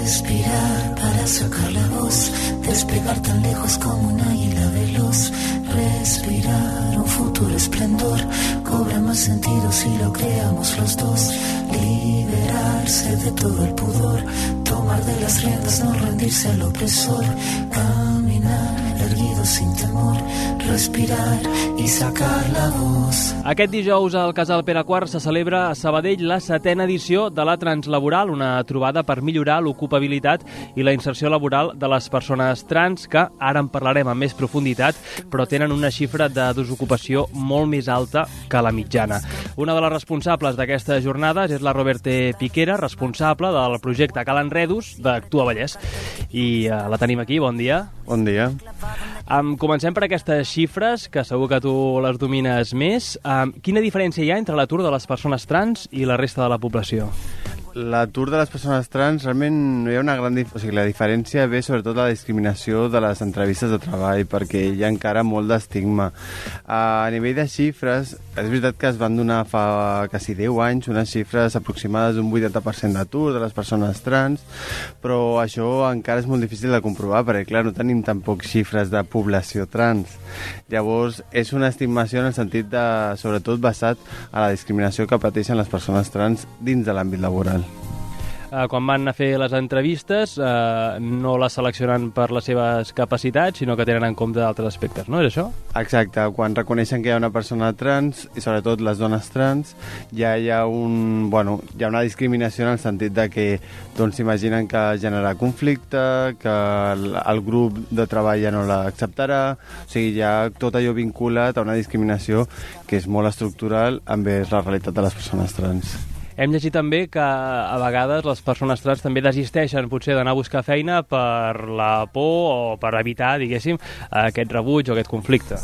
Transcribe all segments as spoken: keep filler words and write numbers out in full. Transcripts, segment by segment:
Respirar para sacar la voz, despegar tan lejos como un águila veloz. Respirar un futuro esplendor, cobra más sentido si lo creamos los dos. Liberarse de todo el pudor, tomar de las riendas, no rendirse al opresor. Caminar erguido sin temor, respirar i sacar la voz. Aquest dijous al Casal Pere quart se celebra a Sabadell la setena edició de la Translaboral, una trobada per millorar l'ocupabilitat i la inserció laboral de les persones trans, que ara en parlarem amb més profunditat, però tenen una xifra de desocupació molt més alta que la mitjana. Una de les responsables d'aquestes jornades és la Roberte Piquera, responsable del projecte Cal Enredus d'Actua Vallès. I uh, la tenim aquí, bon dia. Bon dia. Um, comencem per aquestes xifres, que segur que tu les domines més. Um, quina diferència hi ha entre l'atur de les persones trans i la resta de la població? L'atur de les persones trans realment no hi ha una gran dif... o sigui, la diferència ve sobretot la discriminació de les entrevistes de treball, perquè hi ha encara molt d'estigma. A nivell de xifres, és veritat que es van donar fa quasi deu anys unes xifres aproximades d'un vuitanta per cent d'atur de les persones trans, però això encara és molt difícil de comprovar, perquè clar, no tenim tampoc xifres de població trans. Llavors, és una estimació en el sentit de, sobretot basat a la discriminació que pateixen les persones trans dins de l'àmbit laboral. Uh, quan van a fer les entrevistes uh, no les seleccionen per les seves capacitats, sinó que tenen en compte altres aspectes, no? És això? Exacte, quan reconeixen que hi ha una persona trans, i sobretot les dones trans, ja hi ha, un, bueno, hi ha una discriminació en el sentit de que doncs, s'imaginen que generarà conflicte, que el, el grup de treball ja no l'acceptarà, o sigui, ja tot allò vinculat a una discriminació que és molt estructural envers la realitat de les persones trans. Hem llegit també que a vegades les persones trans també desisteixen potser d'anar a buscar feina per la por o per evitar, diguéssim, aquest rebuig o aquest conflicte.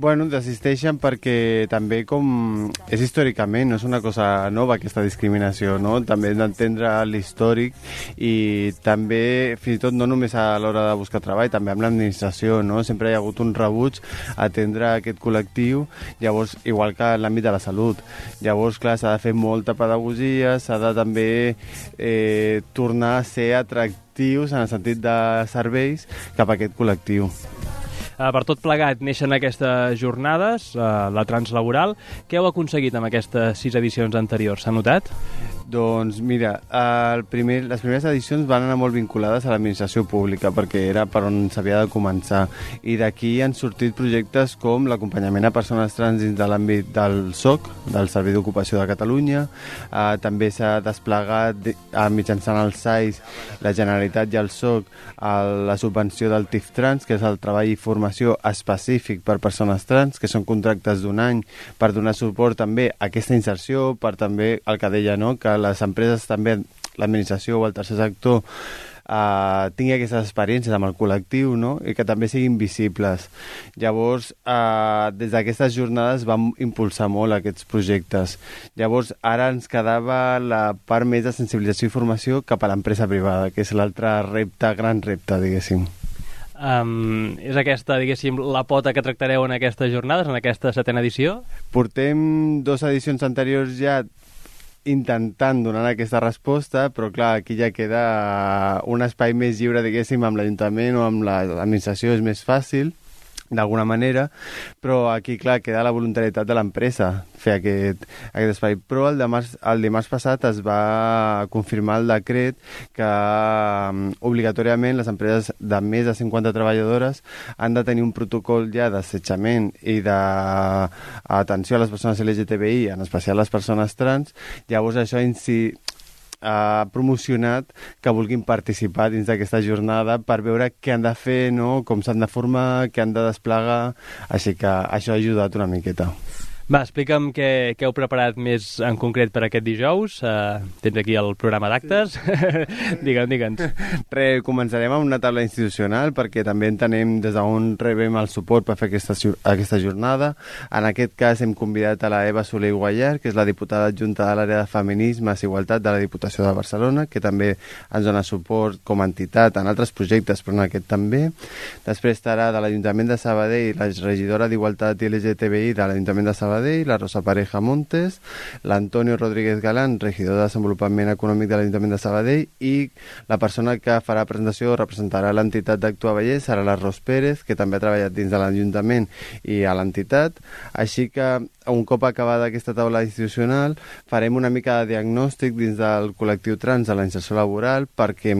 Bueno, desisteixen perquè també com és històricament, no és una cosa nova aquesta discriminació, no? També hem d'entendre l'històric i també, fins i tot no només a l'hora de buscar treball, també amb l'administració, no? Sempre hi ha hagut un rebuig a atendre aquest col·lectiu, llavors, igual que en l'àmbit de la salut. Llavors, clar, s'ha de fer molta pedagogia, s'ha de també eh, tornar a ser atractius en el sentit de serveis cap a aquest col·lectiu. Uh, per tot plegat neixen aquestes jornades, uh, la Translaboral. Què heu aconseguit amb aquestes sis edicions anteriors? S'ha notat? Doncs mira, el primer, les primeres edicions van anar molt vinculades a l'administració pública perquè era per on s'havia de començar, i d'aquí han sortit projectes com l'acompanyament a persones trans dins de l'àmbit del S O C, del Servei d'Ocupació de Catalunya. eh, també s'ha desplegat eh, mitjançant el S A I S, la Generalitat i el S O C, eh, la subvenció del T I F Trans, que és el treball i formació específic per persones trans, que són contractes d'un any per donar suport també a aquesta inserció, per també el que deia, no?, que les empreses també, l'administració o el tercer sector eh, tingui aquestes experiències amb el col·lectiu, no?, i que també siguin visibles. Llavors, eh, des d'aquestes jornades vam impulsar molt aquests projectes. Llavors, ara ens quedava la part més de sensibilització i formació cap a l'empresa privada, que és l'altre repte, gran repte, diguéssim. Um, és aquesta, diguéssim, la pota que tractareu en aquestes jornades, en aquesta setena edició? Portem dues edicions anteriors ja intentant donar aquesta resposta, però clar, aquí ja queda un espai més lliure, diguéssim, amb l'Ajuntament o amb l'administració, és més fàcil, d'alguna manera, però aquí, clar, queda la voluntarietat de l'empresa fer aquest, aquest espai. Però el dimarts, el dimarts passat es va confirmar el decret que um, obligatòriament les empreses de més de cinquanta treballadores han de tenir un protocol ja d'assetjament i d'atenció a les persones L G T B I, en especial les persones trans. Llavors això en si ha promocionat que vulguin participar dins d'aquesta jornada per veure què han de fer, no?, com s'han de formar, què han de desplegar, així que això ha ajudat una miqueta. Va, explica'm què, què heu preparat més en concret per aquest dijous. Uh, tens aquí el programa d'actes. digue'm, digue'ns. Re, començarem amb una taula institucional perquè també entenem des d'on rebem el suport per fer aquesta, aquesta jornada. En aquest cas hem convidat a la Eva Soler Guallar, que és la diputada adjunta de l'àrea de feminismes i igualtat de la Diputació de Barcelona, que també ens dona suport com a entitat en altres projectes, però en aquest també. Després estarà de l'Ajuntament de Sabadell la regidora d'Igualtat i L G T B I de l'Ajuntament de Sabadell, Sabadell, la Rosa Pareja Montes, l'Antonio Rodríguez Galán, regidor de Desenvolupament Econòmic de l'Ajuntament de Sabadell, i la persona que farà presentació o representarà l'entitat d'Actua Vallès serà la Ros Pérez, que també ha treballat dins de l'Ajuntament i a l'entitat. Així que un cop acabada aquesta taula institucional farem una mica de diagnòstic dins del col·lectiu trans de la inserció laboral, perquè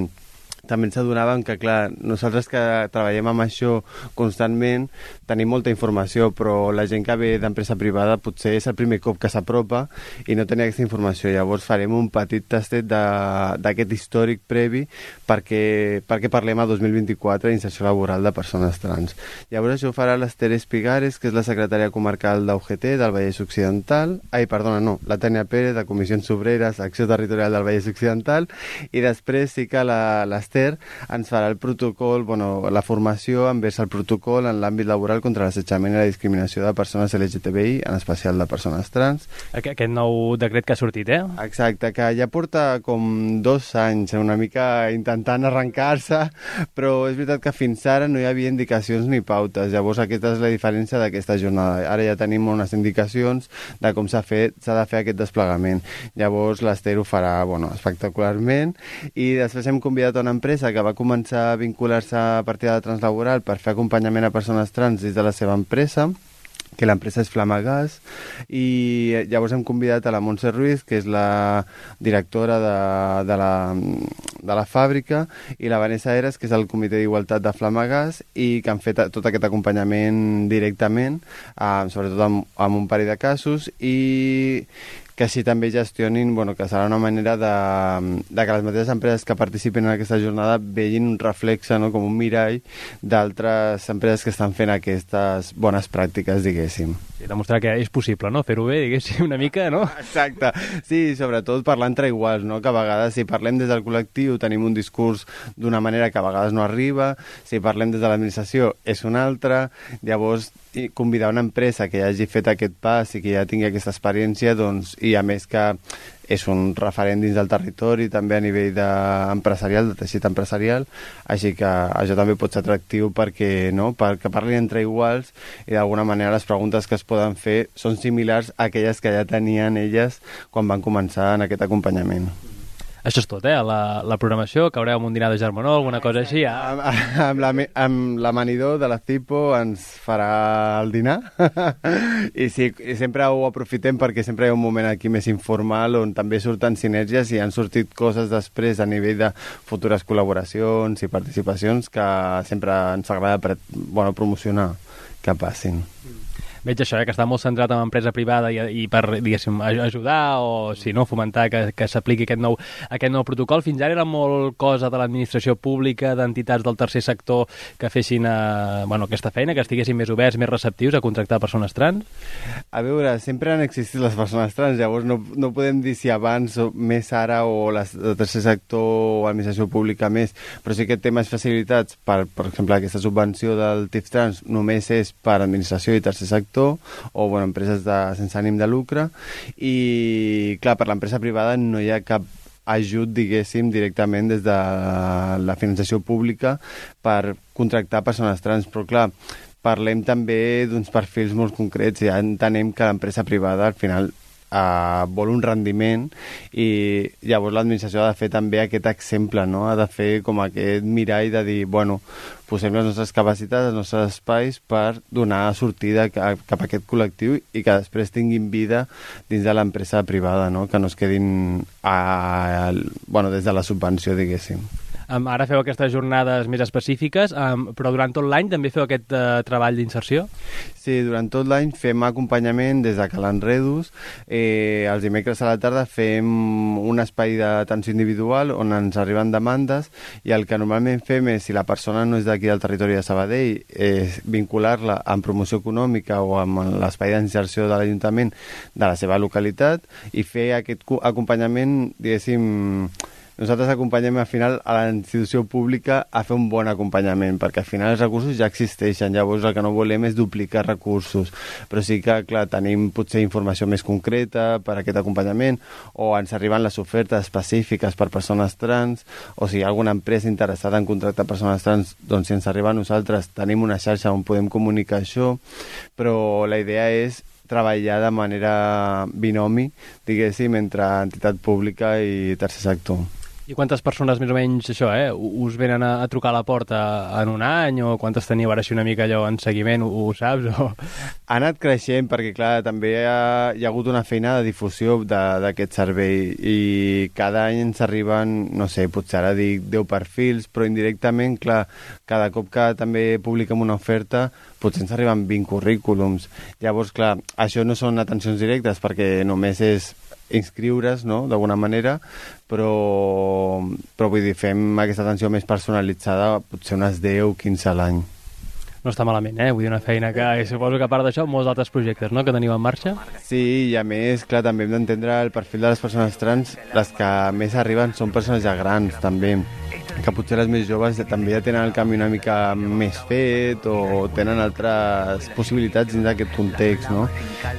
també ens adonàvem que, clar, nosaltres que treballem amb això constantment tenim molta informació, però la gent que ve d'empresa privada potser és el primer cop que s'apropa i no tenia aquesta informació. Llavors farem un petit tastet d'aquest històric previ perquè, perquè parlem a dos mil vint-i-quatre d'inserció laboral de persones trans. Llavors això ho farà l'Ester Espigares, que és la secretària comarcal d'U G T del Vallès Occidental, ai, perdona, no, la Tània Pérez, de Comissions Obreres, Acció Territorial del Vallès Occidental, i després sí que l'Ester ens farà el protocol, bueno, la formació envers el protocol en l'àmbit laboral contra l'assetjament i la discriminació de persones L G T B I, en especial de persones trans. Aquest nou decret que ha sortit, eh? Exacte, que ja porta com dos anys una mica intentant arrencar-se, però és veritat que fins ara no hi havia indicacions ni pautes. Llavors aquesta és la diferència d'aquesta jornada. Ara ja tenim unes indicacions de com s'ha fet, s'ha de fer aquest desplegament. Llavors l'Ester ho farà, bueno, espectacularment, i després hem convidat a una empresa que va començar a vincular-se a partir de la Translaboral per fer acompanyament a persones trans dins de la seva empresa, que l'empresa és Flamagas, i llavors hem convidat a la Montse Ruiz, que és la directora de, de, la, de la fàbrica, i la Vanessa Eres, que és el comitè d'igualtat de Flamagas, i que han fet tot aquest acompanyament directament, eh, sobretot amb, amb un parell de casos, i que així també gestionin, bueno, que serà una manera de, de que les mateixes empreses que participen en aquesta jornada vegin un reflexe, no?, com un mirall d'altres empreses que estan fent aquestes bones pràctiques, diguéssim. Sí, demostrar que és possible, no?, fer-ho bé, diguéssim, una mica, no? Exacte, sí, sobretot parlar entre iguals, no?, que a vegades si parlem des del col·lectiu tenim un discurs d'una manera que a vegades no arriba, si parlem des de l'administració és una altra, llavors i convidar una empresa que ja hagi fet aquest pas i que ja tingui aquesta experiència, doncs, i a més que és un referent dins del territori, també a nivell de empresarial, de teixit empresarial, així que això també pot ser atractiu perquè, no?, perquè parlin entre iguals i d'alguna manera les preguntes que es poden fer són similars a aquelles que ja tenien elles quan van començar en aquest acompanyament. Això és tot, eh? La, la programació, caureu amb un dinar de germanor, alguna cosa així. Ja? Amb, amb, la, amb l'amanidor de la Cipo ens farà el dinar I, sí, i sempre ho aprofitem perquè sempre hi ha un moment aquí més informal on també surten sinergies i han sortit coses després a nivell de futures col·laboracions i participacions que sempre ens agrada pre, bueno, promocionar que passin. Veig això, eh, que està molt centrat en empresa privada i, i per, diguéssim, ajudar o, si no, fomentar que, que s'apliqui aquest nou, aquest nou protocol. Fins ara era molt cosa de l'administració pública, d'entitats del tercer sector que fessin eh, bueno, aquesta feina, que estiguessin més oberts, més receptius a contractar persones trans? A veure, sempre han existit les persones trans, llavors no, no podem dir si abans o més ara o les, el tercer sector o l'administració pública més, però sí que té més facilitats, per, per exemple, aquesta subvenció del T I F Trans només és per administració i tercer sector, o bueno, empreses de, sense ànim de lucre, i clar, per l'empresa privada no hi ha cap ajut, diguéssim, directament des de la finançació pública per contractar persones trans, però clar, parlem també d'uns perfils molt concrets i ja entenem que l'empresa privada al final Uh, vol un rendiment i llavors l'administració ha de fer també aquest exemple, no? Ha de fer com aquest mirall de dir, bueno, posem les nostres capacitats, els nostres espais per donar sortida cap, cap a aquest col·lectiu i que després tinguin vida dins de l'empresa privada, no? Que no es quedin a, a, bueno, des de la subvenció, diguéssim. Um, ara feu aquestes jornades més específiques, um, però durant tot l'any també feu aquest uh, treball d'inserció? Sí, durant tot l'any fem acompanyament des de Calant Redus. Eh, els dimecres a la tarda fem un espai d'atenció individual on ens arriben demandes i el que normalment fem és, si la persona no és d'aquí del territori de Sabadell, eh, vincular-la amb promoció econòmica o amb l'espai d'inserció de l'Ajuntament de la seva localitat i fer aquest acompanyament, diguéssim. Nosaltres acompanyem al final a la institució pública a fer un bon acompanyament, perquè al final els recursos ja existeixen, llavors el que no volem és duplicar recursos, però sí que, clar, tenim potser informació més concreta per a aquest acompanyament, o ens arriben les ofertes específiques per persones trans, o si hi ha alguna empresa interessada en contractar persones trans, doncs si ens arriba a nosaltres tenim una xarxa on podem comunicar això, però la idea és treballar de manera binomi, diguéssim, entre entitat pública i tercer sector. I quantes persones més o menys, això, eh, us venen a, a trucar a la porta en un any, o quantes teniu ara així una mica allò en seguiment, ho, ho saps? O... Ha anat creixent perquè, clar, també hi ha, hi ha hagut una feina de difusió d'aquest servei i cada any ens arriben, no sé, potser ara dic deu perfils, però indirectament, clar, cada cop que també publiquem una oferta potser ens arriben vint currículums. Llavors, clar, això no són atencions directes perquè només és inscriure's, no?, d'alguna manera, però, però vull dir, fem aquesta atenció més personalitzada, potser unes deu quinze a l'any. No està malament, eh? Vull dir, una feina que, i suposo que a part d'això, molts altres projectes, no?, que teniu en marxa. Sí, i a més, clar, també hem d'entendre el perfil de les persones trans. Les que més arriben són persones ja grans, també, que potser les més joves també ja tenen el canvi una mica més fet o tenen altres possibilitats dins d'aquest context, no?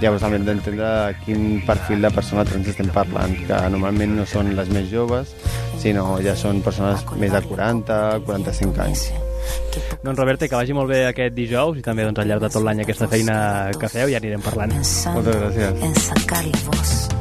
Llavors també hem d'entendre quin perfil de persona trans estem parlant, que normalment no són les més joves, sinó ja són persones més de quaranta, quaranta-cinc anys. Doncs Roberto, que vagi molt bé aquest dijous i també doncs, al llarg de tot l'any aquesta feina que feu, ja anirem parlant. Moltes gràcies.